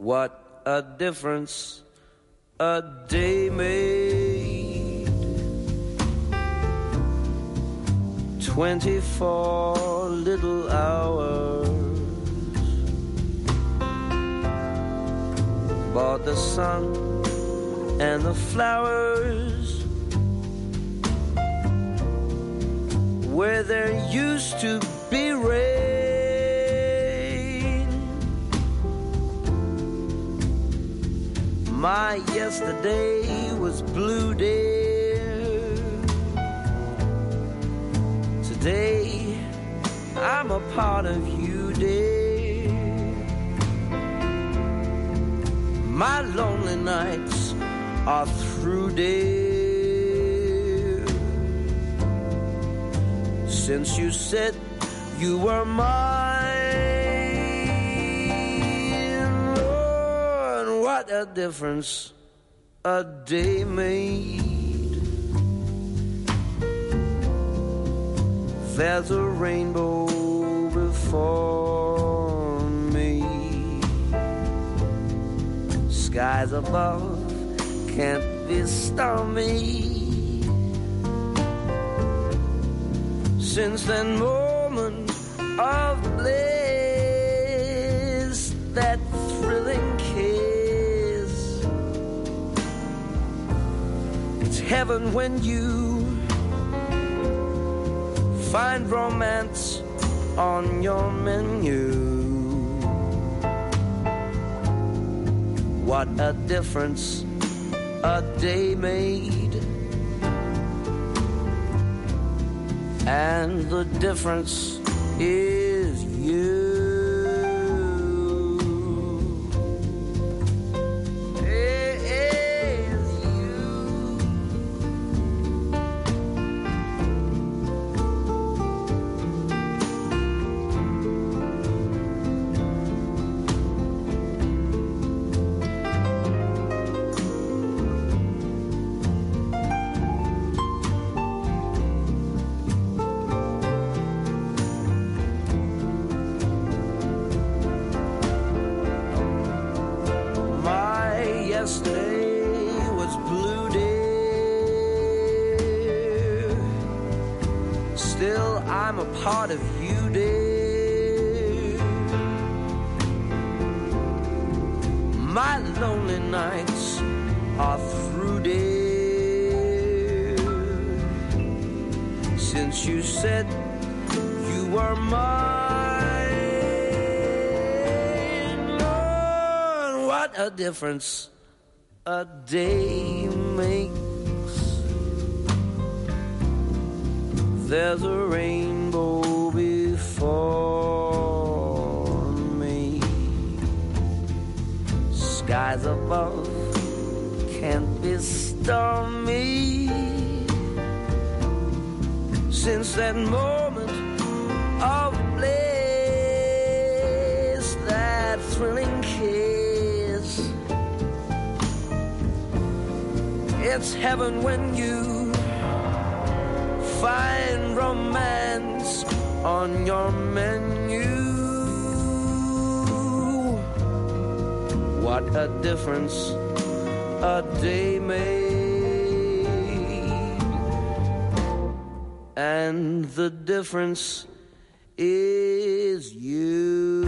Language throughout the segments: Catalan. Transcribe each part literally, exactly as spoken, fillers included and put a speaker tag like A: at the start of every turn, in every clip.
A: What a difference a day made. Twenty-four little hours bought the sun and the flowers where there used to be rain. My yesterday was blue, dear. Today I'm a part of you, dear. My lonely nights are through, dear. Since you said you were mine, Lord, what a difference a day made. There's a rainbow before me. Skies above can't be stormy. Since that moment of bliss, that thrilling kiss, it's heaven when you find romance on your menu. What a difference a day made. And the difference is you. Yesterday was blue, dear. Still, I'm a part of you, dear. My lonely nights are through, dear. Since you said you were mine, Lord, what a difference a day makes. There's a rainbow before me. Skies above can't be stormy. Since that moment of bliss, that thrilling kiss, it's heaven when you find romance on your menu. What a difference a day made. And the difference is you.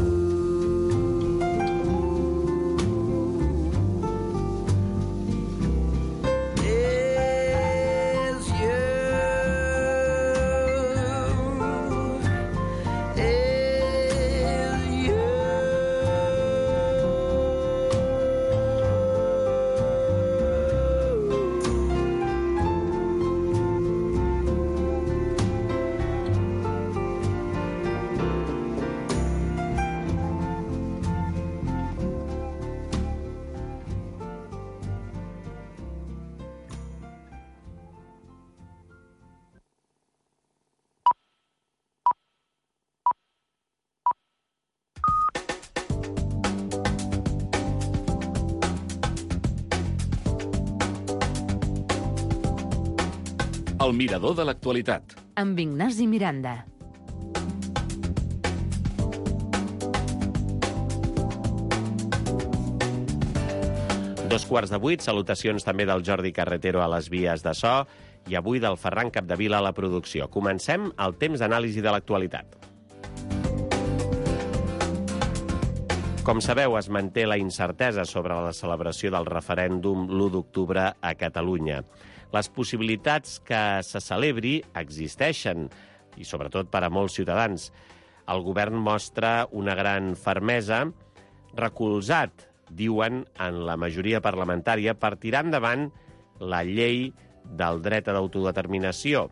B: El mirador de l'actualitat.
C: Amb Ignasi Miranda. Dos quarts de vuit, salutacions també del Jordi Carretero a les vies de so i avui del Ferran Capdevila a la producció. Comencem el temps d'anàlisi de l'actualitat. Com sabeu, es manté la incertesa sobre la celebració del referèndum l'u d'octubre a Catalunya. Les possibilitats que se celebri existeixen, i sobretot per a molts ciutadans. El govern mostra una gran fermesa, recolzat, diuen, en la majoria parlamentària per tirar endavant la llei del dret a l'autodeterminació,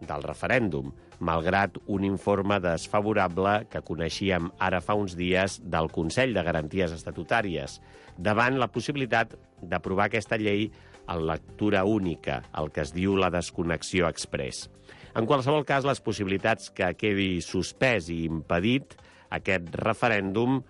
C: del referèndum, malgrat un informe desfavorable que coneixíem ara fa uns dies del Consell de Garanties Estatutàries, davant la possibilitat d'aprovar aquesta llei en lectura única, el que es diu la desconnexió exprés. En qualsevol cas, les possibilitats que quedi suspès i impedit aquest referèndum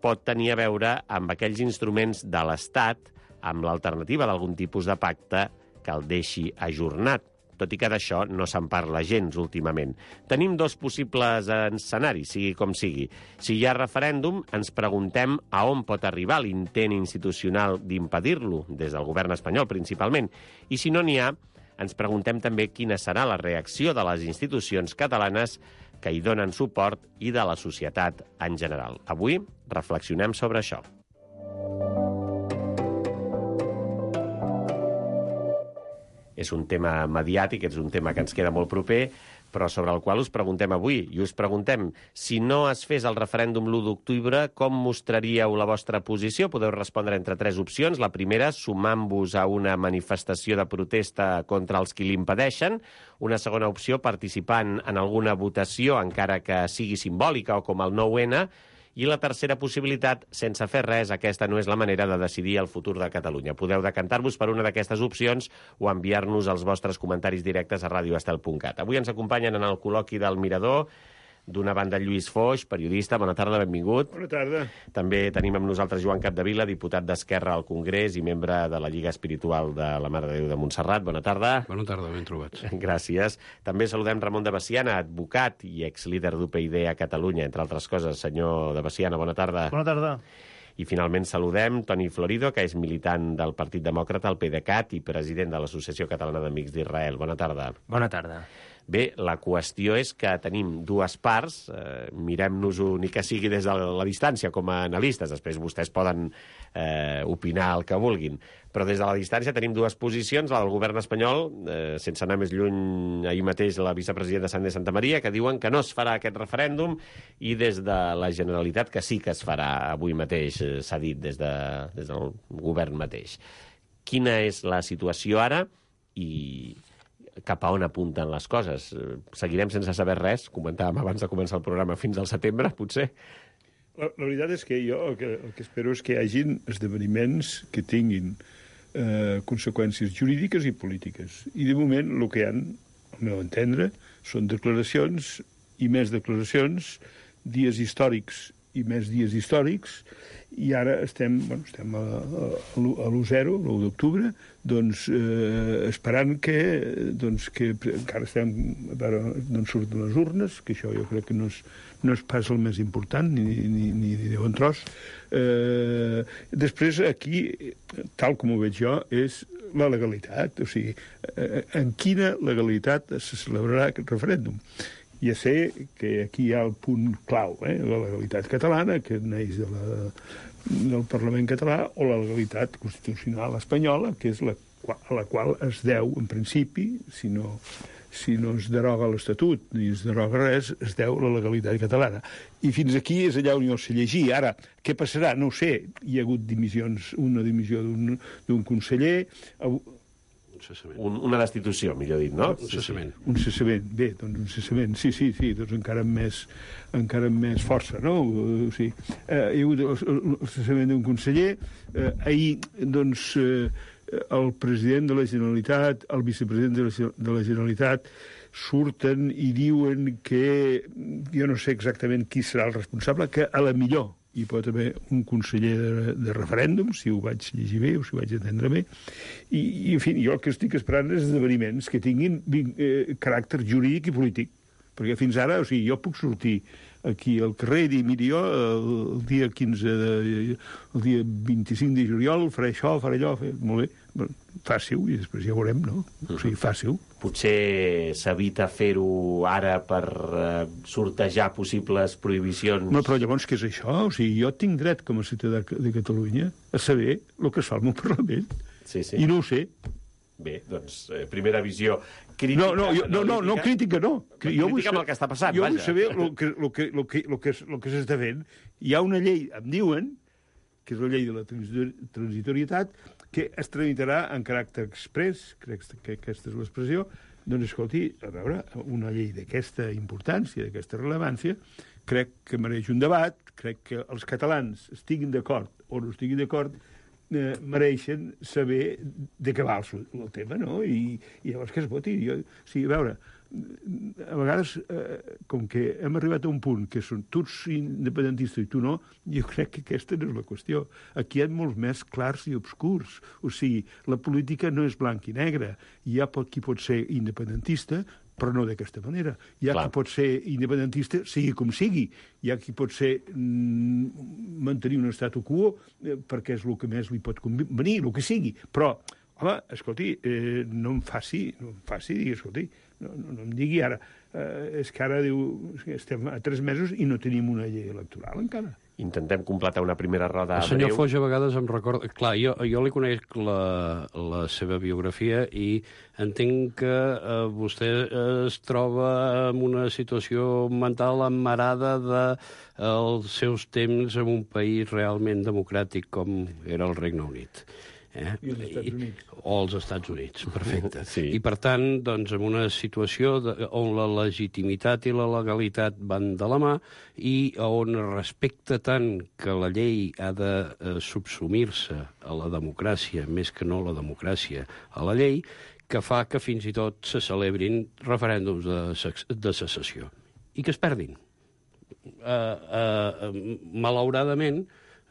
C: pot tenir a veure amb aquells instruments de l'Estat, amb l'alternativa d'algun tipus de pacte que el deixi ajornat, tot i que d'això no se'n parla gens últimament. Tenim dos possibles escenaris, sigui com sigui. Si hi ha referèndum, ens preguntem a on pot arribar l'intent institucional d'impedir-lo, des del govern espanyol principalment, i si no n'hi ha, ens preguntem també quina serà la reacció de les institucions catalanes que hi donen suport i de la societat en general. Avui reflexionem sobre això. És un tema mediàtic, és un tema que ens queda molt proper, però sobre el qual us preguntem avui. I us preguntem, si no es fes el referèndum l'u d'octubre, com mostraríeu la vostra posició? Podeu respondre entre tres opcions. La primera, sumant-vos a una manifestació de protesta contra els qui l'impedeixen. Una segona opció, participant en alguna votació, encara que sigui simbòlica o com el nou ene. I la tercera possibilitat, sense fer res, aquesta no és la manera de decidir el futur de Catalunya. Podeu decantar-vos per una d'aquestes opcions o enviar-nos els vostres comentaris directes a radio estel punt cat. Avui ens acompanyen en el col·loqui del Mirador, d'una banda Lluís Foix, periodista. Bona tarda, benvingut.
D: Bona tarda.
C: També tenim amb nosaltres Joan Capdevila, diputat d'Esquerra al Congrés i membre de la Lliga Espiritual de la Mare de Déu de Montserrat. Bona tarda.
D: Bona tarda, ben trobats.
C: Gràcies. També saludem Ramon de Veciana, advocat i exlíder d'U P I D a Catalunya, entre altres coses. Senyor de Veciana, bona tarda.
E: Bona tarda.
C: I finalment saludem Toni Florido, que és militant del Partit Demòcrata, el PDeCAT, i president de l'Associació Catalana d'Amics d'Israel. Bona tarda.
E: Bona tarda.
C: Bé, la qüestió és que tenim dues parts, eh, mirem-nos-ho ni que sigui des de la distància com a analistes, després vostès poden eh, opinar el que vulguin, però des de la distància tenim dues posicions, la del govern espanyol, eh, sense anar més lluny, ahir mateix la vicepresidenta Sandra Santa Maria, que diuen que no es farà aquest referèndum, i des de la Generalitat que sí que es farà avui mateix, eh, s'ha dit des, de, des del govern mateix. Quina és la situació ara i cap a on apunten les coses? Seguirem sense saber res? Comentàvem abans de començar el programa fins al setembre, potser?
D: La, la veritat és que jo el que, el que espero és que hi hagin esdeveniments que tinguin eh, conseqüències jurídiques i polítiques. I de moment el que hi ha, al meu entendre, són declaracions i més declaracions, dies històrics i més dies històrics, i ara estem, bueno, estem a, a, a l'u zero, l'u d'octubre, doncs eh, esperant que, doncs, que encara estem a veure d'on surten les urnes, que això jo crec que no és, no és pas el més important, ni, ni, ni de bon tros. Eh, després, aquí, tal com ho veig jo, és la legalitat, o sigui, eh, en quina legalitat se celebrarà aquest referèndum. Ja sé que aquí hi ha el punt clau, eh? La legalitat catalana, que neix de la, del Parlament català, o la legalitat constitucional espanyola, que és la, a la qual es deu, en principi, si no, si no es deroga l'Estatut ni es deroga res, es deu la legalitat catalana. I fins aquí és allà on jo sé llegir. Ara, què passarà? No ho sé. Hi ha hagut dimissions, una dimissió d'un conseller.
C: Un, una destitució, millor dit, no?
D: Un cessament. Un cessament, bé, doncs un cessament, sí, sí, sí, doncs encara amb més, encara amb més força, no? O sigui, eh, hi ha hagut el, el cessament d'un conseller, eh, ahir, doncs, eh, el president de la Generalitat, el vicepresident de la, de la Generalitat, surten i diuen que, jo no sé exactament qui serà el responsable, que a la millor hi pot haver un conseller de, de referèndum, si ho vaig llegir bé o si ho vaig entendre bé, i, i en fi, jo el que estic esperant és esdeveniments que tinguin eh, caràcter jurídic i polític. Perquè fins ara, o sigui, jo puc sortir aquí al carrer i dir, miri, jo el dia quinze de... el dia vint-i-cinc de juliol faré això, faré allò, faré... molt bé, fàcil, i després ja veurem, no? O sigui, fàcil.
C: Potser s'evita fer-ho ara per eh, sortejar possibles prohibicions.
D: No, però llavors què és això? O sigui, jo tinc dret com a ciutadà de Catalunya a saber el que es fa al meu Parlament.
C: Sí, sí.
D: I no ho sé.
C: Bé, doncs, eh, primera visió crítica...
D: No, no, jo, no, no, no, crítica no.
C: Crítica vull amb el que està passant,
D: jo
C: vaja.
D: Jo vull saber el que, el que, el que, el que, el que s'està fent. Hi ha una llei, em diuen, que és la llei de la transitorietat, que es tramitarà en caràcter express, crec que aquesta és l'expressió. Doncs, escolti, a veure, una llei d'aquesta importància, d'aquesta rellevància, crec que mereix un debat, crec que els catalans estiguin d'acord o no estiguin d'acord, eh, mereixen saber de què va el, el tema, no? I, i llavors que es voti. Jo, o sigui, a veure, a vegades, eh, com que hem arribat a un punt que són tu ets independentista i tu no, jo crec que aquesta no és la qüestió. Aquí hi ha molts més clars i obscurs. O sigui, la política no és blanc i negre. Hi ha qui pot ser independentista, però no d'aquesta manera. Hi ha Clar. qui pot ser independentista, sigui com sigui. Hi ha qui pot ser mm, mantenir un statu quo eh, perquè és el que més li pot convenir, el que sigui. Però, home, escolti, eh, no em faci, no em faci dir, escolti, no, no, no em digui ara, eh, és que ara diu, estem a tres mesos i no tenim una llei electoral encara.
C: Intentem completar una primera roda
E: El senyor
C: breu.
E: Foix a vegades em recorda... Clar, jo, jo li conec la, la seva biografia i entenc que eh, vostè es troba en una situació mental emmarada dels de, seus temps en un país realment democràtic com era el Regne Unit. Eh?
D: I els Estats Units.
E: O els Estats Units, perfecte.
C: Sí.
E: I, per tant, doncs, en una situació de, on la legitimitat i la legalitat van de la mà i on respecta tant que la llei ha de eh, subsumir-se a la democràcia, més que no la democràcia a la llei, que fa que fins i tot se celebrin referèndums de, de secessió i que es perdin. Uh, uh, malauradament,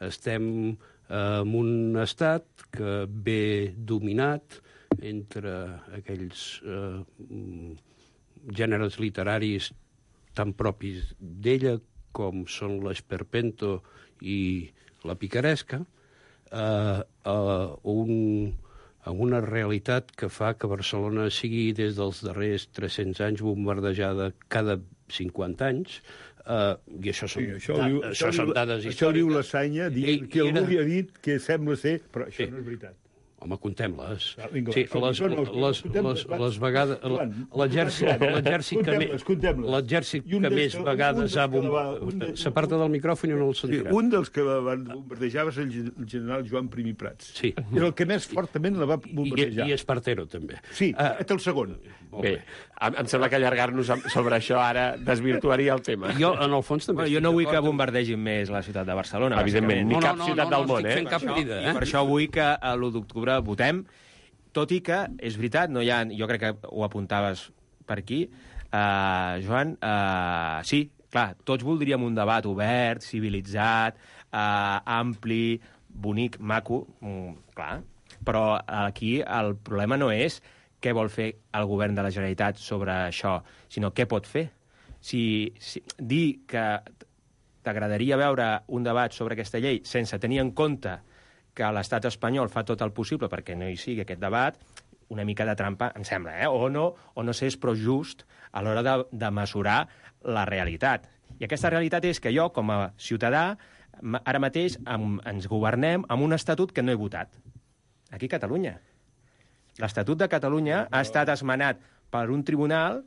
E: estem en un estat que ve dominat entre aquells eh, gèneres literaris tan propis d'ella com són l'esperpento i la picaresca, eh, eh, un, una realitat que fa que Barcelona sigui des dels darrers tres-cents anys bombardejada cada cinquanta anys, Uh, i això són,
D: sí, això
E: da,
D: diu,
E: això
D: això
E: són
D: diu,
E: dades
D: això
E: històriques.
D: Això diu la Sanya, dient que algú li ha dit que sembla ser, però això
E: sí.
D: no és veritat.
E: Home, contem-les.
D: Ah, vinga,
E: sí,
D: va,
E: les, les, les, les, les vegades... L'exèrcit que, me, l'exèrcit que més vegades ha bombardegat... S'aparta del micròfon i no el sentirà.
D: Sí, un dels que la van bombardejar va ser el general Joan Prim i Prats.
E: Sí.
D: És el que més fortament la va bombardejar.
E: I, i Espartero, també.
D: Sí, uh, és el segon.
C: Bé, em, em sembla que allargar-nos sobre això ara desvirtuaria el tema.
E: Jo, en el fons, també...
F: Bueno, jo no vull que bombardegin més la ciutat de Barcelona.
C: Evidentment, ni
E: no,
C: cap
E: no, no,
C: ciutat
E: no,
C: del
E: no,
C: món, eh?
E: No estic fent cap crida, eh?
F: I per això vull que a l'u d'octubre votem, tot i que, és veritat, no hi ha, jo crec que ho apuntaves per aquí, uh, Joan, uh, sí, clar, tots voldríem un debat obert, civilitzat, uh, ampli, bonic, maco, mm, clar, però aquí el problema no és què vol fer el govern de la Generalitat sobre això, sinó què pot fer. Si, si dir que t'agradaria veure un debat sobre aquesta llei sense tenir en compte que l'estat espanyol fa tot el possible perquè no hi sigui aquest debat, una mica de trampa, em sembla, eh? O no, o no sé, és prou just a l'hora de, de mesurar la realitat. I aquesta realitat és que jo, com a ciutadà, ara mateix em, ens governem amb un estatut que no he votat. Aquí a Catalunya. L'Estatut de Catalunya ha estat esmenat per un tribunal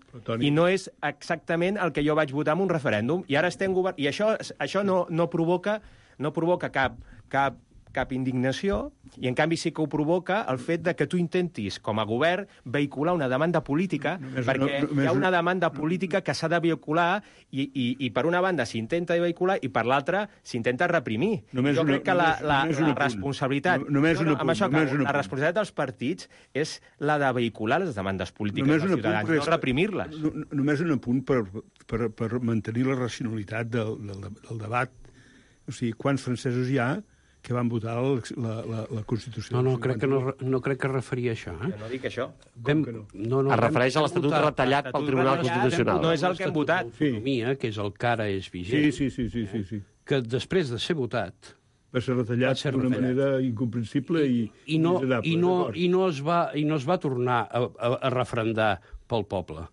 F: i no és exactament el que jo vaig votar en un referèndum. I ara estem governant... I això, això no, no provoca, no provoca cap, cap, cap indignació, i en canvi sí que ho provoca el fet de que tu intentis, com a govern, vehicular una demanda política, no, perquè no, no, hi ha una demanda política que s'ha de vehicular i, i, i per una banda s'intenta vehicular i per l'altra s'intenta reprimir.
D: Només
F: jo crec que
D: només,
F: la,
D: només
F: la, la responsabilitat...
D: No, només
F: no, no,
D: punt,
F: amb això,
D: només
F: la responsabilitat dels partits és la de vehicular les demandes polítiques dels ciutadans, no reprimir-les.
D: No, només un apunt per, per, per mantenir la racionalitat del, del, del debat. O sigui, quants francesos hi ha que van votar la, la, la, la Constitució.
E: No, no, crec que no, no crec que es referia a això. Eh?
F: Jo no dic això.
E: Vam,
D: que no?
E: No, no,
C: Es refereix a l'Estatut retallat pel Tribunal Constitucional.
F: No és el que hem votat.
E: L'autonomia, que és el que ara és vigent,
D: Sí, sí, sí, sí, sí, sí.
E: que després de ser votat
D: Va ser retallat
E: Va ser
D: d'una
E: retallat.
D: manera incomprensible i,
E: i no,
D: miserable.
E: i no,
D: d'acord.
E: i no, es, va, i no es va tornar a, a, a refrendar pel poble.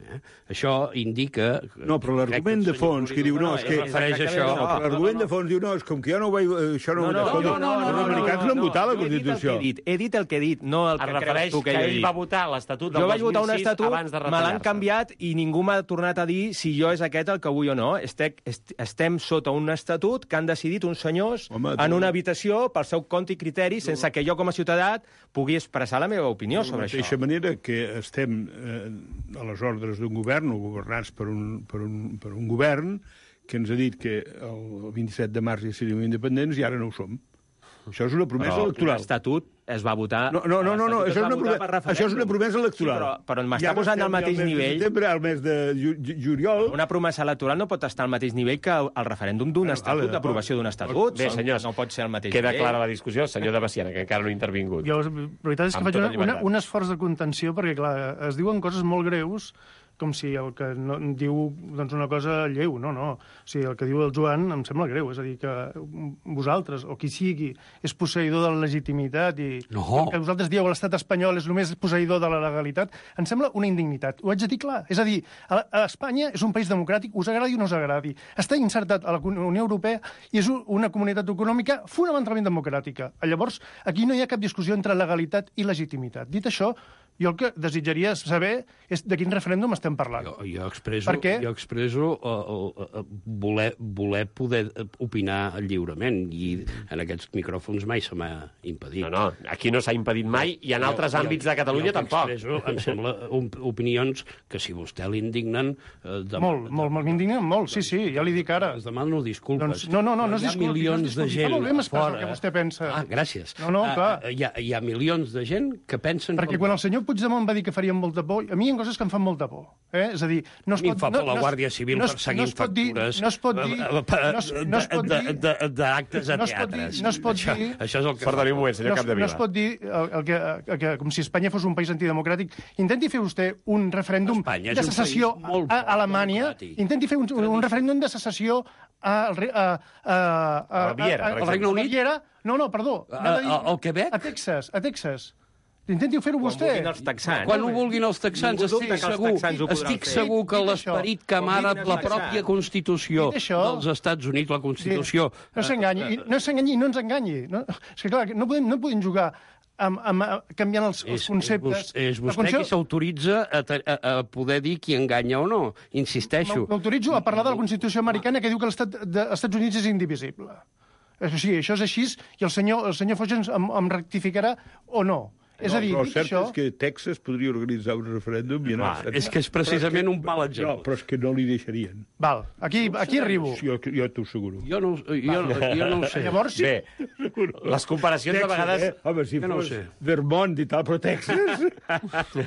E: Eh? Això indica...
D: No, però l'argument de fons que diu no, és que...
E: es refereix a això.
D: No, però l'argument de fons diu no, és com que jo no ho vaig... Això no,
F: No, no,
D: escolta,
F: no, no, no,
D: els americans no han votat la
F: jo he dit el que
D: Constitució.
F: he dit. He dit el que he dit, no el
C: Es
F: que
C: refereix
F: creus tu que
C: que
F: jo he
C: ell
F: dit.
C: va votar l'Estatut del
F: Jo vaig votar un
C: dos mil sis
F: estatut,
C: abans de
F: me l'han
C: retallar-se.
F: canviat i ningú m'ha tornat a dir si jo és aquest el que vull o no. Estec, est, estem sota un estatut que han decidit uns senyors
D: Home, tu-
F: en una habitació pel seu compte i criteri, sense que jo com a ciutadà pugui expressar la meva opinió
D: De la
F: sobre
D: mateixa
F: això.
D: manera que estem eh, a les ordres d'un govern o governats per un, per, un, per un govern que ens ha dit que el vint-i-set de març ja seríem independents i ara no ho som. Això és una promesa
F: Però
D: electoral.
F: l'estatut es va votar...
D: No, no, no, no, no.
F: l'estatut es
D: Això, és
F: va
D: una
F: votar
D: promesa,
F: per referèndum.
D: això és una promesa electoral.
F: Sí, però, però m'està
D: Ja
F: posant
D: estem
F: al mateix
D: al mes
F: nivell...
D: De setembre, al mes de ju ju juliol...
F: Una promesa electoral no pot estar al mateix nivell que el, el referèndum d'un
D: Vale,
F: estatut,
D: vale,
F: d'aprovació d'un estatut.
C: Bé, senyors,
F: no pot ser al mateix
C: queda
F: nivell.
C: clara la discussió. Senyor de Baciana, que encara no ha intervingut.
G: Jo, la veritat és que
C: Amb
G: faig
C: tota
G: una, una,
C: llibertat.
G: un esforç de contenció perquè, clar, es diuen coses molt greus com si el que no, diu doncs, una cosa lleu, no, no. O sigui, el que diu el Joan em sembla greu, és a dir, que vosaltres, o qui sigui, és posseïdor de la legitimitat i
E: No.
G: que vosaltres dieu que l'estat espanyol és només posseïdor de la legalitat, em sembla una indignitat. Ho haig de dir clar. És a dir, a, a Espanya és un país democràtic, us agradi o no us agradi. Està insertat a la Unió Europea i és una comunitat econòmica fonamentalment democràtica. Llavors, aquí no hi ha cap discussió entre legalitat i legitimitat. Dit això, jo el que desitjaria saber és de quin referèndum estem parlant.
E: Jo, jo expresso,
G: Per què?
E: jo expresso uh, uh, voler, voler poder opinar lliurement i en aquests micròfons mai se m'ha impedit.
C: No, no, aquí no s'ha impedit mai i en altres àmbits de Catalunya
E: jo
C: tampoc.
E: Expresso, em sembla, un, opinions que si vostè l'indignen... Eh, de,
G: Molt, molt, molt, m'indignen molt, sí, sí, ja li dic ara.
E: Es demano disculpes.
G: Doncs, no, no, no, no es
E: Hi ha
G: disculpi,
E: milions
G: no es disculpi.
E: de gent
G: Fa molt bé m'expressa
E: fora.
G: el que vostè pensa.
E: Ah, gràcies.
G: No, no,
E: Ah,
G: clar.
E: ah, hi, ha, hi ha milions de gent que pensen...
G: Perquè quan el senyor Puigdemont va dir que farien molta por, a mi hi ha coses que em fan molta por. Eh? És a dir, no es
E: A mi em
G: pot...
E: fa
G: no,
E: por la
G: no es-
E: Guàrdia Civil
G: no es-
E: perseguint
G: no es pot dir-
E: factures
G: No es pot dir...
E: eh,
G: No es, no es pot
E: de-
G: dir...
E: de- de- d'actes a
G: no es pot dir-
E: teatres.
G: no es pot
E: Això,
G: dir...
E: això és el que...
C: Perdoni un moment, senyor
G: no, es-
C: Capdevila.
G: no es pot dir el, el que, el que, com si Espanya fos un país antidemocràtic. Intenti fer vostè un referèndum
E: Espanya és
G: de
E: un
G: secessió
E: país molt
G: a, a Alemanya.
E: democràtic.
G: Intenti fer un, un referèndum de secessió a, a, a, a,
C: A Baviera, per
G: a,
C: exemple.
E: Regne Unit?
G: Baviera. No, no, perdó.
E: A-
G: Anava a dir-
E: a- al Quebec?
G: A Texas, a Texas. Intenti fer-ho
F: Quan
G: vostè.
F: vulguin els texans.
E: Quan ho vulguin els texans,
F: Ningú
E: estic
F: dubta que els
E: segur,
F: texans ho podran
E: estic
F: fer.
E: segur que
G: Dit
E: l'esperit
G: això,
E: que emana
F: quan vinguin
E: la
F: els
E: pròpia
F: texans.
E: Constitució
G: Dit això-
E: dels Estats Units, la Constitució...
G: No s'enganyi, i no s'enganyi i no ens enganyi. No? És que, clar, no podem, no podem jugar amb, amb, amb, canviant els, els
E: És,
G: conceptes.
E: és, vos- és
G: La
E: vostè
G: funció-
E: qui s'autoritza a, te- a, a poder dir qui enganya o no. Insisteixo.
G: M'autoritzo a parlar de la Constitució americana que diu que l'Estat dels Estats Units és indivisible. És així, això és així, i el senyor, el senyor Foix ens em, em rectificarà o no. És a dir,
D: però el
G: dit
D: cert
G: això...
D: és que Texas podria organitzar un referèndum i anar...
E: Clar, és que és precisament un mal exemple.
D: No, però és que no li deixarien.
G: Val, aquí, aquí arribo.
D: Jo, jo t'ho asseguro.
E: Jo no, jo, jo no ho sé.
G: Llavors, sí,
C: Bé, les comparacions de vegades...
D: eh? Home, si
E: Jo no ho
D: fos
E: sé.
D: Vermont i tal, però Texas,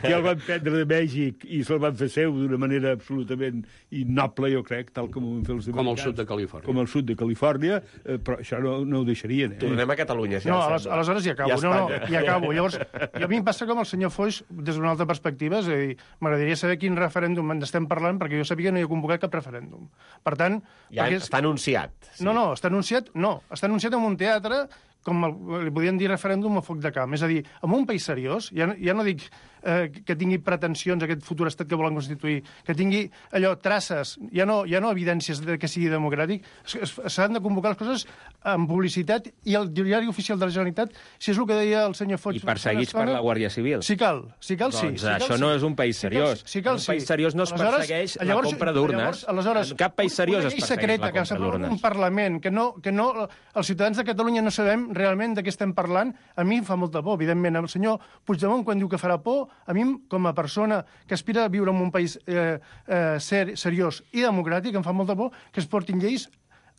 D: que el van prendre de Mèxic i se'l van fer seu d'una manera absolutament innoble, jo crec, tal com ho van fer els
E: Com el
D: americans.
E: sud de Califòrnia.
D: Com el sud de Califòrnia, eh, però això no, no ho deixarien. Eh?
C: Tornem a Catalunya, si
G: no,
C: ja
G: aleshores, aleshores ja acabo.
C: I a
G: no, no,
C: Espanya.
G: ja acabo. Llavors, i a mi em passa com el senyor Foix, des d'una altra perspectiva, és a dir, m'agradaria saber quin referèndum en estem parlant, perquè jo sabia que no hi ha convocat cap referèndum. Per tant...
C: Ja
G: perquè és-
C: està anunciat.
G: No, no, està anunciat, no, està anunciat en un teatre com el, li podien dir referèndum a foc de camp. És a dir, en un país seriós, ja, no- ja no dic eh, que tingui pretensions aquest futur estat que volen constituir, que tingui allò, traces, ja no, ja no evidències de que sigui democràtic, es- es- s'han de convocar les coses amb publicitat i el diari oficial de la Generalitat, si és el que deia el senyor Foix...
F: I perseguits per la Guàrdia Civil.
G: Si cal, si cal, sí.
F: Doncs
G: si cal,
F: això
G: sí.
F: no és un país seriós.
G: Si cal,
F: En un
G: sí.
F: país seriós no es
G: Aleshores-
F: persegueix la
G: llavors-
F: compra d'urnes.
G: Aleshores, aleshores,
F: En cap país seriós
G: una
F: es
G: llei
F: persegueix
G: secreta
F: la
G: que
F: compra
G: s'aprova en un
F: d'urnes.
G: Parlament, que no, que no, els ciutadans de Catalunya no sabem realment de què estem parlant, a mi em fa molta por, evidentment. El senyor Puigdemont, quan diu que farà por, a mi, com a persona que aspira a viure en un país eh, eh, ser, seriós i democràtic, em fa molta por que es portin lleis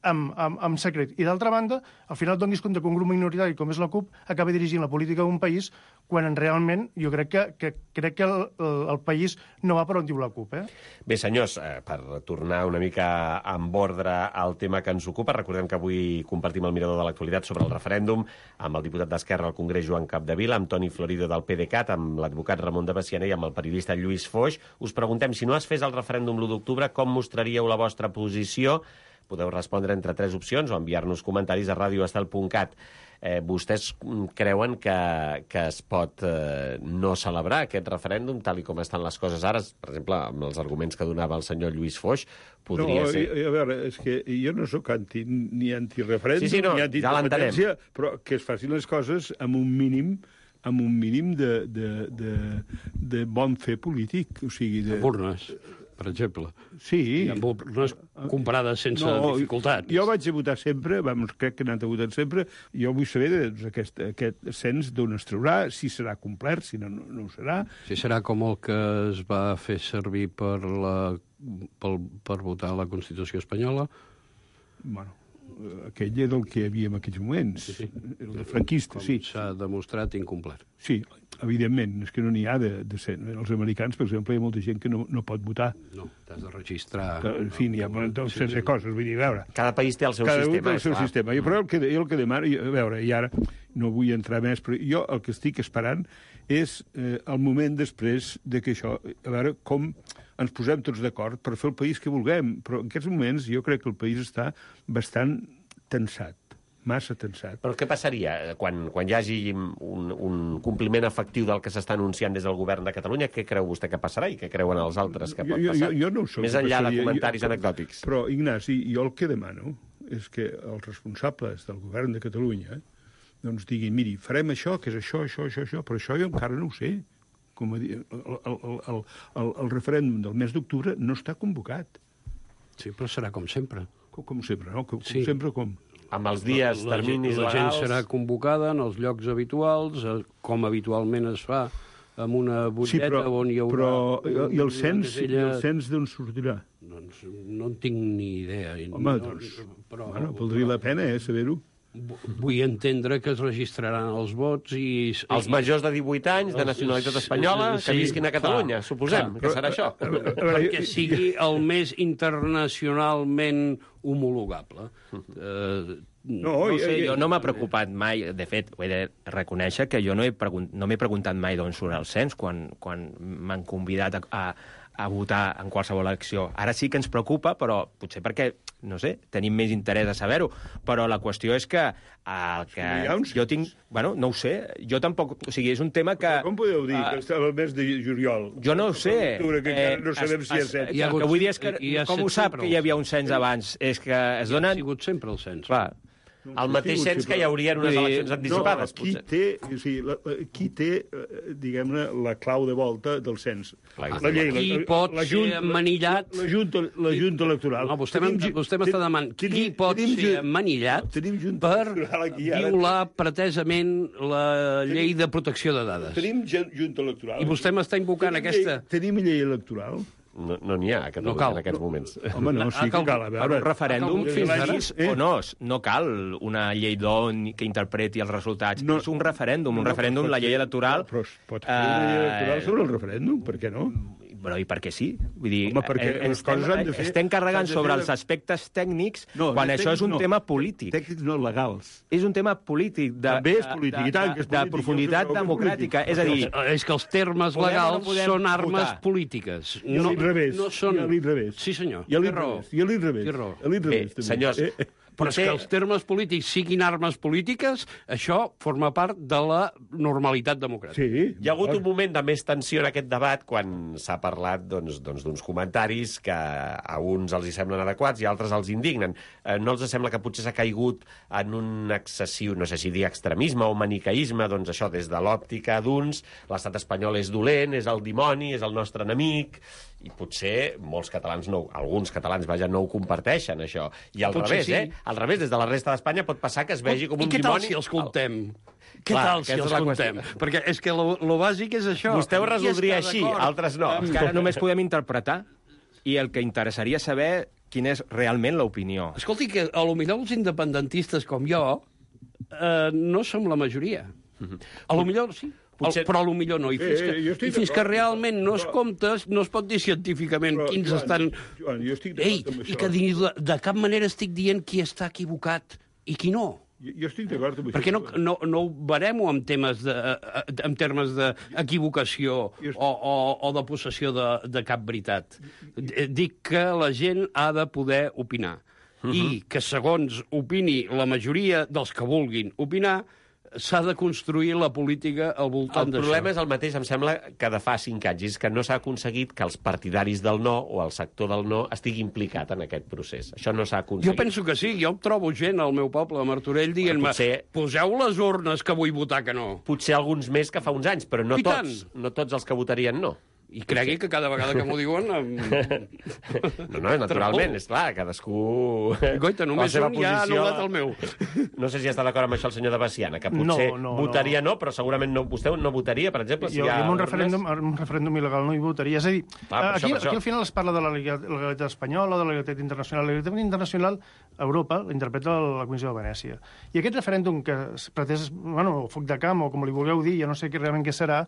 G: amb, amb, amb secret. I d'altra banda, al final et donis compte que un grup minoritari com és la CUP acaba dirigint la política d'un país quan realment jo crec que, que, crec que el, el, el país no va per on diu la CUP. Eh?
C: Bé, senyors, eh, per tornar una mica amb ordre al tema que ens ocupa, recordem que avui compartim el mirador de l'actualitat sobre el referèndum amb el diputat d'Esquerra al Congrés, Joan Capdevila, amb Toni Florido del PDeCAT, amb l'advocat Ramon de Besiana i amb el periodista Lluís Foix. Us preguntem, si no es fes el referèndum l'u d'octubre, com mostraríeu la vostra posició? Podeu respondre entre tres opcions o enviar-nos comentaris a radio estel punt cat. Eh, vostès creuen que, que es pot eh, no celebrar aquest referèndum tal i com estan les coses ara? Per exemple, amb els arguments que donava el senyor Lluís Foix, podria
D: no,
C: ser...
D: A veure, és que jo no sóc anti, ni antireferèndum,
C: sí, sí, no,
D: ni antiindependència, ja però que es facin les coses amb un mínim amb un mínim de, de, de, de bon fer polític. O sigui, de...
E: Amb urnes, per exemple.
D: Sí.
E: I amb urnes comparades sense
D: no,
E: dificultats.
D: Jo vaig a votar sempre, vamos, crec que he anat a votar sempre, jo vull saber doncs, aquest, aquest cens d'on es traurà, si serà complet, si no, no, no ho serà.
E: Si serà com el que es va fer servir per, la, per, per votar la Constitució espanyola.
D: Bueno, aquell era el que hi havia en aquells moments. Sí, sí. El de franquista,
E: com
D: sí.
E: s'ha demostrat incomplet.
D: Sí, evidentment, és que no n'hi ha de, de ser. Els americans, per exemple, hi ha molta gent que no, no pot votar.
E: No, t'has de registrar...
D: Que, en fi, n'hi ha doncs, sí, sí. coses, vull dir, a veure...
C: Cada país té el seu
D: cada
C: sistema.
D: Cada un té el seu
C: clar.
D: sistema. Jo, però el que, jo el que demano, a veure, i ara no vull entrar més, però jo el que estic esperant és eh, el moment després de que això... A veure com ens posem tots d'acord per fer el país que vulguem. Però en aquests moments jo crec que el país està bastant tensat, massa tensat.
C: Però què passaria quan, quan hi hagi un, un compliment efectiu del que s'està anunciant des del govern de Catalunya? Què creu vostè que passarà i què creuen els altres que pot passar?
D: Jo, jo, jo no ho sé.
C: Més enllà de
D: passaria.
C: comentaris
D: jo,
C: anecdòtics.
D: Però, Ignasi, jo el que demano és que els responsables del govern de Catalunya doncs diguin, miri, farem això, que és això, això, això, això, però això jo encara no ho sé. Com a dir, el, el, el, el, el referèndum del mes d'octubre no està convocat.
E: Sí, però serà com sempre.
D: Com, com sempre, no? Com,
E: Sí.
D: com sempre, com?
C: Amb els dies,
E: la,
C: terminis
E: la gent
C: legals...
E: serà convocada en els llocs habituals, eh, com habitualment es fa, amb una butlleta
D: Sí, però,
E: on hi haurà...
D: però i el cens, i
E: casella...
D: el cens d'on sortirà?
E: Doncs no en tinc ni idea.
D: Home,
E: no,
D: doncs,
E: però,
D: bueno, valdria la pena, eh, saber-ho.
E: Vull entendre que es registraran els vots i...
C: Els majors de divuit anys, de nacionalitat espanyola,
E: Sí,
C: que visquin a Catalunya,
E: clar,
C: suposem,
E: clar,
C: que serà això.
E: Perquè sigui el més internacionalment homologable. Uh,
F: No, no sé, jo no m'ha preocupat mai. De fet, ho he de reconèixer que jo no, he pregunt, no m'he preguntat mai d'on surt el cens quan, quan m'han convidat a, a, a votar en qualsevol elecció. Ara sí que ens preocupa, però potser perquè, no sé, tenim més interès a saber-ho. Però la qüestió és que el que jo tinc... Bueno, no ho sé. Jo tampoc... O sigui, és un tema que...
D: Com podeu dir uh, que està el mes de juliol?
F: Jo no ho sé.
D: Que encara no sabem
F: es,
D: si és cens.
F: El que vull dir és que... Com ho sap que hi havia un cens abans? És que es donen...
E: Ha sigut sempre el cens.
F: Clar.
C: El mateix cens que hi hauria en unes eleccions anticipades,
D: no, qui
C: potser.
D: té, o sigui, la, la, qui té, diguem-ne, la clau de volta del cens?
C: Clar,
D: la llei,
E: qui
D: la,
E: pot
D: la,
E: ser emmanillat...
D: La, la, junta, la Junta Electoral.
E: No, vostè m'està demanant qui
D: tenim,
E: pot
D: tenim,
E: ser emmanillat
D: tenim junta
E: per
D: aquí, ara.
E: violar pretesament la llei de protecció de dades.
D: Tenim Junta Electoral.
E: I vostè m'està invocant
D: tenim
E: aquesta...
D: Llei, tenim llei electoral.
C: No n'hi no ha a Catalunya
E: no cal.
C: en aquests moments.
D: Home, no, sí que cal. A
F: Per
D: veure,
F: un referèndum,
E: fins ara,
F: eh? o no, no cal una llei d'on que interpreti els resultats. No, és un referèndum. Un no, referèndum, la llei electoral...
D: Però es pot fer una llei electoral sobre el referèndum, per què no?
F: Però i per què sí? Vull dir,
D: Home, perquè
F: eh,
D: les coses han de fer...
F: estem carregant sobre
D: de...
F: els aspectes tècnics
D: no,
F: quan això és un
D: no,
F: tema polític.
D: Tècnics no legals.
F: És un tema polític. De,
D: També és polític,
F: de,
D: i tant que és
F: de,
D: polític.
F: de profunditat democràtica. És a dir...
E: És que els termes
F: podem
E: legals
F: no
E: són armes
F: votar.
E: polítiques.
D: I a l'inrevés.
E: No són...
D: I a l'inrevés.
E: Sí, senyor.
D: I a
E: Té raó.
D: l'inrevés. I a l'inrevés.
E: Té raó.
D: A l'inrevés,
C: Bé, senyors,
D: eh?
E: Però és que els termes polítics siguin armes polítiques, això forma part de la normalitat democràtica.
D: Sí.
C: Hi ha hagut un moment de més tensió en aquest debat quan s'ha parlat doncs, doncs, d'uns comentaris que a uns els hi semblen adequats i a altres els indignen. Eh, no els sembla que potser s'ha caigut en un excessiu, no sé si dir extremisme o maniqueisme, doncs això, des de l'òptica d'uns, l'estat espanyol és dolent, és el dimoni, és el nostre enemic, i potser molts catalans, no, alguns catalans, vaja, no ho comparteixen, això. I al
E: Potser
C: revés,
E: sí.
C: eh? Al revés, des de la resta d'Espanya pot passar que es vegi com un
E: I què
C: dimoni...
E: tal si els comptem? Què
C: Clar,
E: tal si
C: aquesta
E: els
C: és la
E: comptem?
C: qüestió.
E: Perquè és que lo, lo bàsic és això.
C: Vostè ho
E: Qui
C: resoldria
E: està
C: així,
E: d'acord?
C: altres no.
F: Que ara només podem interpretar i el que interessaria saber quina és realment l'opinió.
E: Escolti, que a lo millor els independentistes com jo eh, no som la majoria. A lo millor sí, Potser... però a lo millor no. I fins que,
D: eh,
E: i fins que realment no es compta, no es pot dir científicament però, quins Joan, estan...
D: Joan, jo estic
E: Ei, i que de, de cap manera estic dient qui està equivocat i qui no.
D: Jo, jo estic d'acord amb això.
E: Perquè no, no, no ho baremo en, temes de, en termes d'equivocació o, o, o de possessió de, de cap veritat. Dic que la gent ha de poder opinar. Uh -huh. I que, segons opini la majoria dels que vulguin opinar, s'ha de construir la política al voltant d'això.
C: El problema és el mateix, em sembla, que de fa cinc anys, és que no s'ha aconseguit que els partidaris del no o el sector del no estigui implicat en aquest procés. Això no s'ha aconseguit.
E: Jo penso que sí. Jo trobo gent al meu poble, a Martorell, dient-me potser... poseu les urnes que vull votar que no.
C: Potser alguns més que fa uns anys, però no tots. No tots els que votarien no.
E: I cregui que cada vegada que m'ho diuen... Em...
C: No, no, naturalment, és clar, cadascú...
E: Goita, només un ja ha anul·lat el meu.
C: No sé si està d'acord amb això el senyor de Baciana, que potser no, no, votaria no. no, però segurament no, vostè no votaria, per exemple, si
G: jo,
C: hi ha...
G: Jo en un referèndum, un referèndum il·legal no hi votaria. És a dir, clar, aquí, aquí al final es parla de la legalitat espanyola, de la legalitat internacional. La legalitat internacional, a Europa, l'interpreta la Comissió de Venècia. I aquest referèndum que es pretès, bueno, foc de camp, o com li vulgueu dir, ja no sé què realment què serà,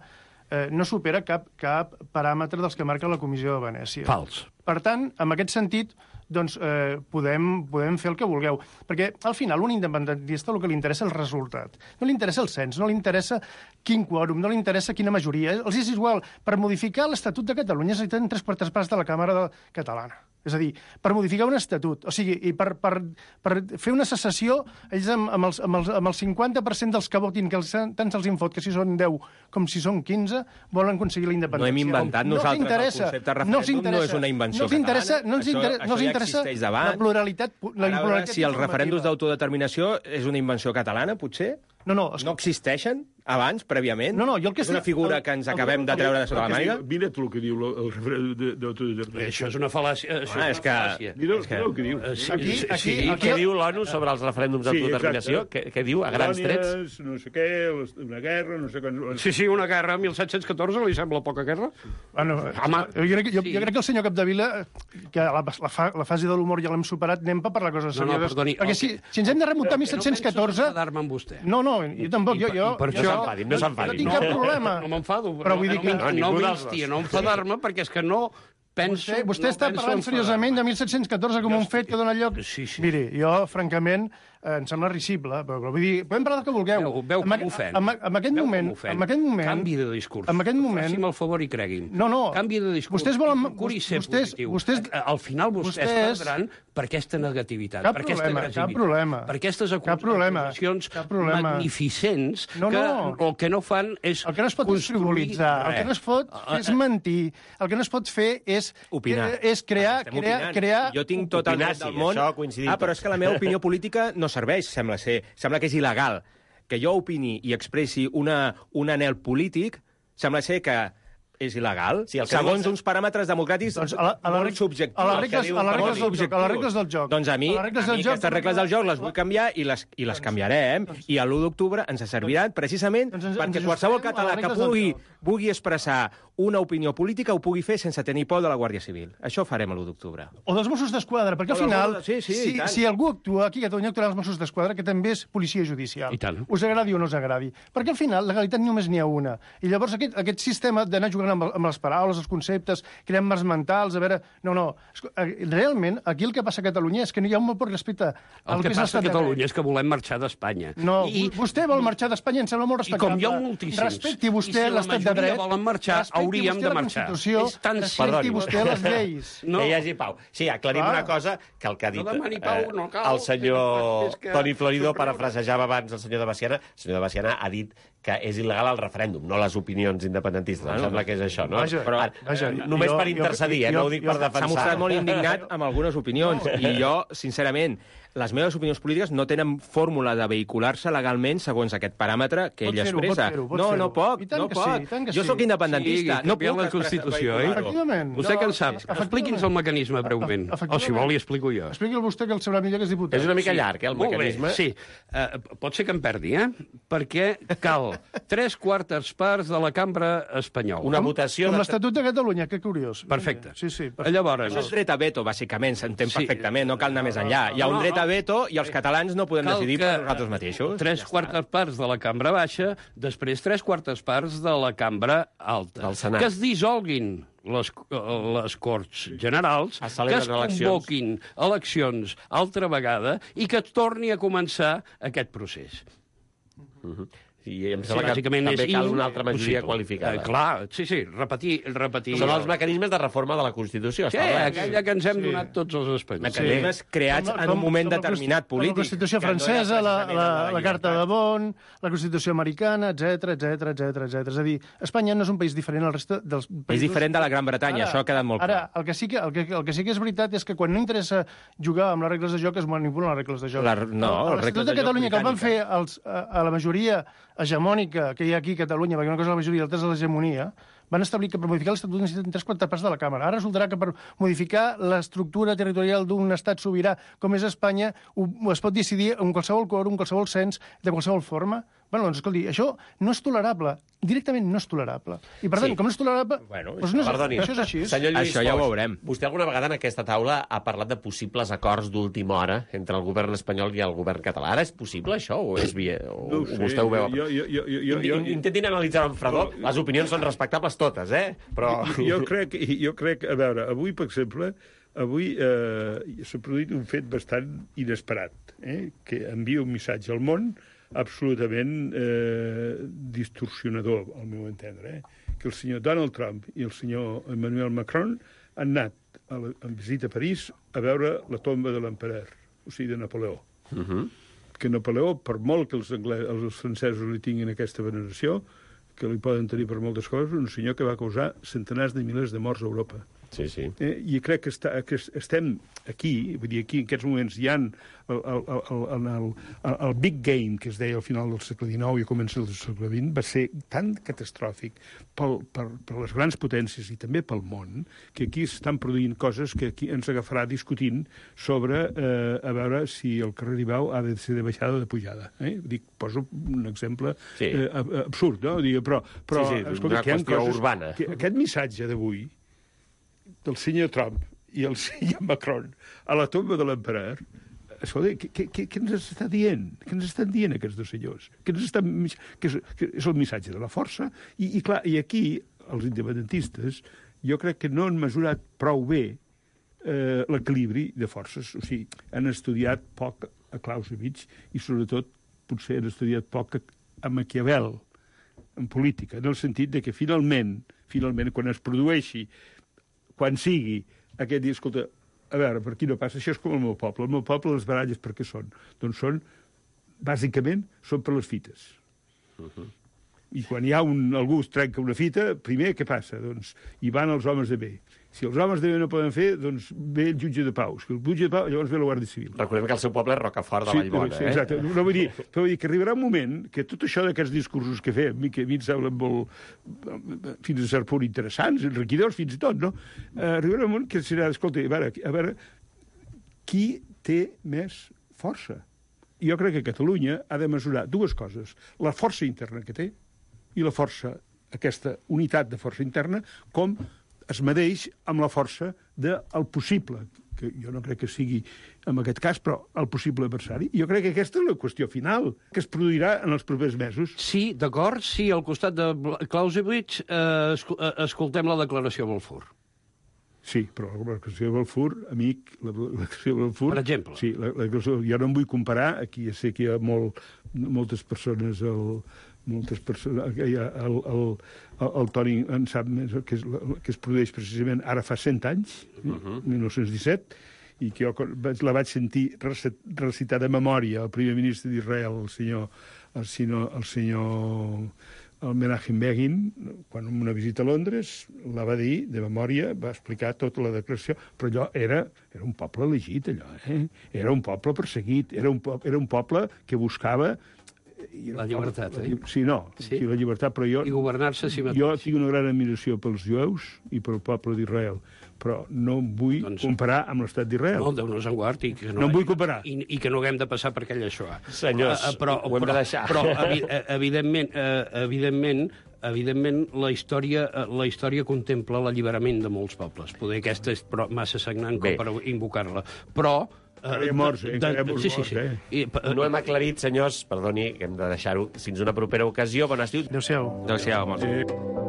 G: Eh, no supera cap, cap paràmetre dels que marca la Comissió de Venècia.
E: Fals.
G: Per tant, en aquest sentit, doncs, eh, podem, podem fer el que vulgueu. Perquè, al final, un independentista el que li interessa és el resultat. No li interessa el cens, no li interessa quin quòrum, no li interessa quina majoria. Els és igual. Per modificar l'Estatut de Catalunya necessiten tres quartes parts de la Càmera Catalana. És a dir, per modificar un estatut, o sigui, i per, per, per fer una secessió, ells amb, amb, els, amb, els, amb el cinquanta per cent dels que votin, que els, tant se'ls infot, que si són deu com si són quinze, volen aconseguir la independència.
F: No hem inventat
G: no
F: nosaltres el concepte de referèndum, no és una invenció
G: no interessa,
F: catalana.
G: No ens interessa,
F: això,
G: no
F: això ja
G: interessa
F: existeix davant.
G: la pluralitat, la
F: Ara,
G: pluralitat
F: si els referèndums d'autodeterminació és una invenció catalana, potser?
G: No, no.
F: No existeixen abans, prèviament?
G: No, no, jo el que
F: és una figura que ens acabem de treure de sota la màniga?
D: Mira tu el que diu el referèndum d'autodeterminació.
E: Això és una fal·làcia.
F: Ah, és que...
D: Mira el que diu.
G: Aquí, aquí,
C: Què diu l'ONU sobre els referèndums d'autodeterminació? Què diu, a grans trets?
D: No sé què, una guerra, no sé què...
E: Sí, sí, una guerra. mil set-cents catorze li sembla poca guerra?
G: Bueno, Home, jo, crec, jo, jo crec que el senyor Capdevila, que la, la, fa, la fase de l'humor ja l'hem superat, anem per parlar coses serioses.
E: No, no, perdoni.
G: Perquè si, si ens hem de remuntar a mil set-cents catorze...
E: No penso enfadar-me amb vostè.
G: No, no, jo tampoc. Jo, jo,
E: per això...
C: No s'enfadin, no s'enfadin.
G: No tinc cap problema.
E: No m'enfado.
G: Però vull dir que...
E: No, no m'instia a no enfadar-me, perquè és que no penso...
G: Vostè, vostè
E: no
G: està parlant seriosament de mil set-cents catorze com un fet que dona lloc...
E: Sí, sí.
G: Miri, jo, francament, eh, em sembla risible, però vull dir, podem parlar del que vulgueu.
E: Veu, veu com m'ofèn.
G: En, en, aquest moment, en aquest moment...
E: Canvi de discurs.
G: En aquest moment...
E: Faci'm el favor i cregui'm.
G: No, no.
E: Canvi de discurs.
G: Vostès volen...
E: Procuri ser
G: vostès,
E: positiu.
G: Vostès,
E: Al final vostès,
G: vostès
E: perdran per aquesta negativitat,
G: cap
E: per aquesta
G: problema,
E: agressivitat,
G: cap problema.
E: per aquestes
G: Cap problema,
E: acusacions
G: cap problema.
E: magnificents
G: No,
E: que
G: no.
E: el que no fan és
G: El que no es pot és frivolitzar, el que no es pot fer és mentir, el que no es pot fer és...
F: Opinar.
G: És crear...
F: Estem
G: crear,
F: opinant.
G: crear...
F: Jo tinc tot el
C: Opinar,
F: dret del
C: sí,
F: món.
C: això coincidim
F: Ah, però
C: tots.
F: és que la meva opinió política no serveix, sembla ser. Sembla que és il·legal. Que jo opini i expressi una, un anhel polític, sembla ser que és il·legal,
C: Sí, el que
F: segons
C: dius-
F: uns paràmetres democràtics
G: Doncs a la, a la,
F: molt
G: reg-
F: subjectius.
G: a les
F: El que
G: regles,
F: diu
G: a les
F: el
G: regles del
F: Codi
G: joc, a les regles del joc.
F: Doncs a mi,
G: a
F: a
G: les regles
F: mi
G: del joc,
F: aquestes regles del joc les vull canviar i les, i les canviarem. I l'u d'octubre ens serviran precisament
G: doncs ens-
F: perquè
G: ens
F: qualsevol
G: ajustarem a
F: català
G: les
F: que
G: regles del
F: pugui,
G: joc.
F: pugui expressar una opinió política ho pugui fer sense tenir por de la Guàrdia Civil. Això ho farem a l'u d'octubre.
G: O dels Mossos d'Esquadra, perquè al
F: O dels
G: final,
F: Mossos- sí, sí,
G: si,
F: i tant.
G: si algú actua aquí a Catalunya, actuarà els Mossos d'Esquadra, que també és policia judicial.
E: I tant.
G: Us agradi o no us agradi. Perquè al final, legalitat només n'hi ha una. I llavors aquest, aquest sistema d'anar jugant amb, amb les paraules, els conceptes, creant marcs mentals, a veure... No, no. Esco- eh, Realment, aquí el que passa a Catalunya és que no hi ha un molt poc respecte al
E: El que
G: és
E: passa a
G: l'estat de
E: Catalunya
G: dret.
E: és que volem marxar d'Espanya.
G: No,
E: I,
G: vostè vol marxar d'Espanya, em sembla molt
E: I com
G: respectable.
E: hi ha moltíssims.
G: Respecti vostè
E: I si la
G: l'estat de
E: majoria
G: dret.
E: volen marxar,
G: respecti
E: hauríem
G: vostè
E: de
G: la
E: marxar.
G: Constitució,
E: És tan
G: respecti
C: Perdoni.
G: vostè les lleis.
E: No.
C: Que hi hagi pau. Sí, aclarim
G: Clar.
C: una cosa, que el que ha dit
E: No demani pau,
C: eh,
E: no cal.
C: el senyor
E: És que-
C: Toni Florido parafrasejava abans el senyor de Baciana. El senyor de Baciana ha dit que és il·legal el referèndum, no les opinions independentistes. Em sembla que és això, no?
G: Vaja,
C: Però,
G: vaja,
C: eh, només
G: jo-
C: per
G: jo-
C: intercedir, eh?
G: jo-
C: No ho dic
G: jo-
C: per
F: S'ha
C: defensar.
F: mostrat molt indignat amb algunes opinions. I jo, sincerament, les meves opinions polítiques no tenen fórmula de vehicular-se legalment segons aquest paràmetre que ell expressa.
G: No,
F: no pot, no pot. Jo sóc independentista.
E: No puc la Constitució, eh?
G: Efectivament.
E: Vostè que en sap? Expliqui'ns el mecanisme breument. O si vol, li explico jo.
G: Expliqui'l vostè, que el sabrà millor que és diputat.
C: És una mica llarg, eh, el mecanisme.
E: Sí, pot ser que em perdi, eh? Perquè cal tres quartes parts de la cambra espanyola.
C: Una votació...
G: Com l'Estatut de Catalunya, que curiós.
E: Perfecte.
G: Sí, sí.
E: Llavors...
F: Això és dret a veto, bàsicament, s'entén perfectament, no cal anar més enllà. Hi ha un dret a veto i els catalans no podem decidir per nosaltres mateixos.
E: Tres quartes parts de la cambra baixa, després tres quartes parts de la cambra alta. Que es dissolguin les, les Corts Generals, que es convoquin eleccions altra vegada i que torni a començar aquest procés.
C: Uh-huh. I em sembla sí, que també cal una altra majoria qualificada.
E: Eh, clar, sí, sí, repetir... repetir
C: Són els mecanismes de reforma de la Constitució.
E: Sí, aquella que ens hem sí. donat tots els espanyols.
F: Mecanismes sí. creats com, en un moment determinat polític.
G: La Constitució francesa, la, la, la Carta de Bonn, la Constitució americana, etcètera, etcètera, etcètera, etcètera. És a dir, Espanya no és un país diferent al resta dels països...
F: És diferent de la Gran Bretanya, ara, això ha quedat molt clar.
G: Ara, el que, sí que, el, que, el que sí que és veritat és que quan no interessa jugar amb les regles de joc es manipulen les regles de joc.
F: La, no,
G: l'Estatut de Catalunya, que el van fer els, a, a la majoria hegemònica que hi ha aquí a Catalunya, perquè una cosa és la majoria i l'altra és l'hegemonia, van establir que per modificar l'Estatut necessiten tres quartes parts de la Càmera. Ara resultarà que per modificar l'estructura territorial d'un estat sobirà com és Espanya ho, es pot decidir en qualsevol quòrum, qualsevol cens, de qualsevol forma. Bueno, doncs, escolti, això no és tolerable. Directament no és tolerable. I, per tant, sí. com no és tolerable...
C: Bueno,
G: doncs no és,
C: perdoni,
G: això és així.
C: Senyor Lluís
F: això ja ho veurem.
C: Vostè alguna vegada en aquesta taula ha parlat de possibles acords d'última hora entre el govern espanyol i el govern català. Ara és possible, això? O és via... O,
D: no ho sé,
C: vostè ho veu?
D: Jo, jo, jo, jo, jo, jo,
C: Intentin analitzar-ho amb fredor. No, les opinions són respectables totes, eh? Però...
D: Jo, jo, crec, jo crec... A veure, avui, per exemple, avui eh, s'ha produït un fet bastant inesperat, eh? Que envia un missatge al món absolutament eh, distorsionador, al meu entendre, eh? Que el senyor Donald Trump i el senyor Emmanuel Macron han anat a la, en visita a París a veure la tomba de l'empereur, o sigui, de Napoleó.
C: Uh -huh.
D: Que Napoleó, per molt que els, angles, els francesos li tinguin aquesta veneració, que li poden tenir per moltes coses, un senyor que va causar centenars de milers de morts a Europa.
C: Sí, sí.
D: Eh, I crec que, està, que estem aquí, vull dir, aquí en aquests moments hi ha el, el, el, el, el, el big game que es deia al final del segle dinou i a començar del segle vint va ser tan catastròfic pel, per, per les grans potències i també pel món, que aquí s'estan produint coses que aquí ens agafarà discutint sobre eh, a veure si el carrer Ibau ha de ser de baixada o de pujada. Eh? Dic, poso un exemple sí. eh, absurd, no? Dic, però, però
C: sí, sí,
D: escolta,
C: una qüestió
D: coses,
C: urbana.
D: Que aquest missatge d'avui del senyor Trump i el senyor Macron a la tomba de l'empereur, escolta, què, què, què ens està dient? Què ens estan dient aquests dos senyors? Què ens estan, que és, que és el missatge de la força? I, i clar, i aquí, els independentistes, jo crec que no han mesurat prou bé eh, l'equilibri de forces. O sigui, han estudiat poc a Clausewitz i, sobretot, potser han estudiat poc a, a Maquiavel, en política, en el sentit de que finalment, finalment, quan es produeixi quan sigui aquest dia, escolta, a veure, per aquí no passa, això és com el meu poble. El meu poble, les baralles per què són? Doncs són, bàsicament, són per les fites. Uh-huh. I quan hi ha un, algú es trenca una fita, primer, què passa? Doncs hi van els homes de bé. Si els homes de bé no poden fer, doncs ve el jutge de pau. Si el jutge de pau, llavors ve la Guàrdia Civil.
C: Recordem que el seu poble és Rocafort de
D: sí,
C: Vallbona,
D: sí,
C: eh?
D: Exacte. No, vull dir, però vull dir que arribarà un moment que tot això d'aquests discursos que fem, que a mi em semblen molt, fins a cert punt interessants, enriquidors fins i tot, no? Eh, arribarà un moment que serà, escolta, a veure, a veure, qui té més força? I jo crec que Catalunya ha de mesurar dues coses. La força interna que té i la força, aquesta unitat de força interna, com es medeix amb la força del possible, que jo no crec que sigui en aquest cas, però el possible adversari. I jo crec que aquesta és la qüestió final, que es produirà en els propers mesos.
E: Sí, d'acord, sí, al costat de Clausewitz eh, escoltem la declaració de Balfour.
D: Sí, però la declaració de Balfour, amic, la declaració de Balfour...
E: Per exemple.
D: Sí, la, la, jo no em vull comparar, aquí ja sé que hi ha molt, moltes persones... El, moltes persones, el, el, el, el Toni en sap més, que es, que es produeix precisament ara fa cent anys, uh-huh. mil nou-cents disset, i que jo la vaig sentir recitar de memòria el primer ministre d'Israel, el senyor, el senyor, el senyor el Menachem Begin, quan en una visita a Londres, la va dir, de memòria, va explicar tota la declaració, però allò era, era un poble elegit, allò, eh? Era un poble perseguit, era un, po era un poble que buscava...
E: La llibertat,
D: la,
E: eh?
D: Sí, no,
E: sí?
D: sí, la llibertat, però jo...
E: I governar-se a si mateix.
D: Jo tinc una gran admiració pels jueus i pel poble d'Israel, però no em vull doncs... comparar amb l'estat d'Israel.
E: No, Déu-nos en guard. I que no,
D: no em vull comparar.
E: I, I que no haguem de passar per aquella Shoah.
C: Senyors,
E: uh, uh, però,
C: ho hem
E: però,
C: de deixar.
E: Però, evi evidentment, uh, evidentment, evidentment la història, uh, la història contempla l'alliberament de molts pobles. Poder aquesta és però, massa sagnant com per invocar-la. Però...
D: Encara hi ha morts, eh? Encara hi ha morts,
E: sí, sí, sí.
D: eh?
E: I, uh,
C: no hem aclarit, senyors, perdoni, que hem de deixar-ho fins una propera ocasió. Bon estiu.
G: Adéu-siau.
F: Adéu-siau, molts.
D: Eh...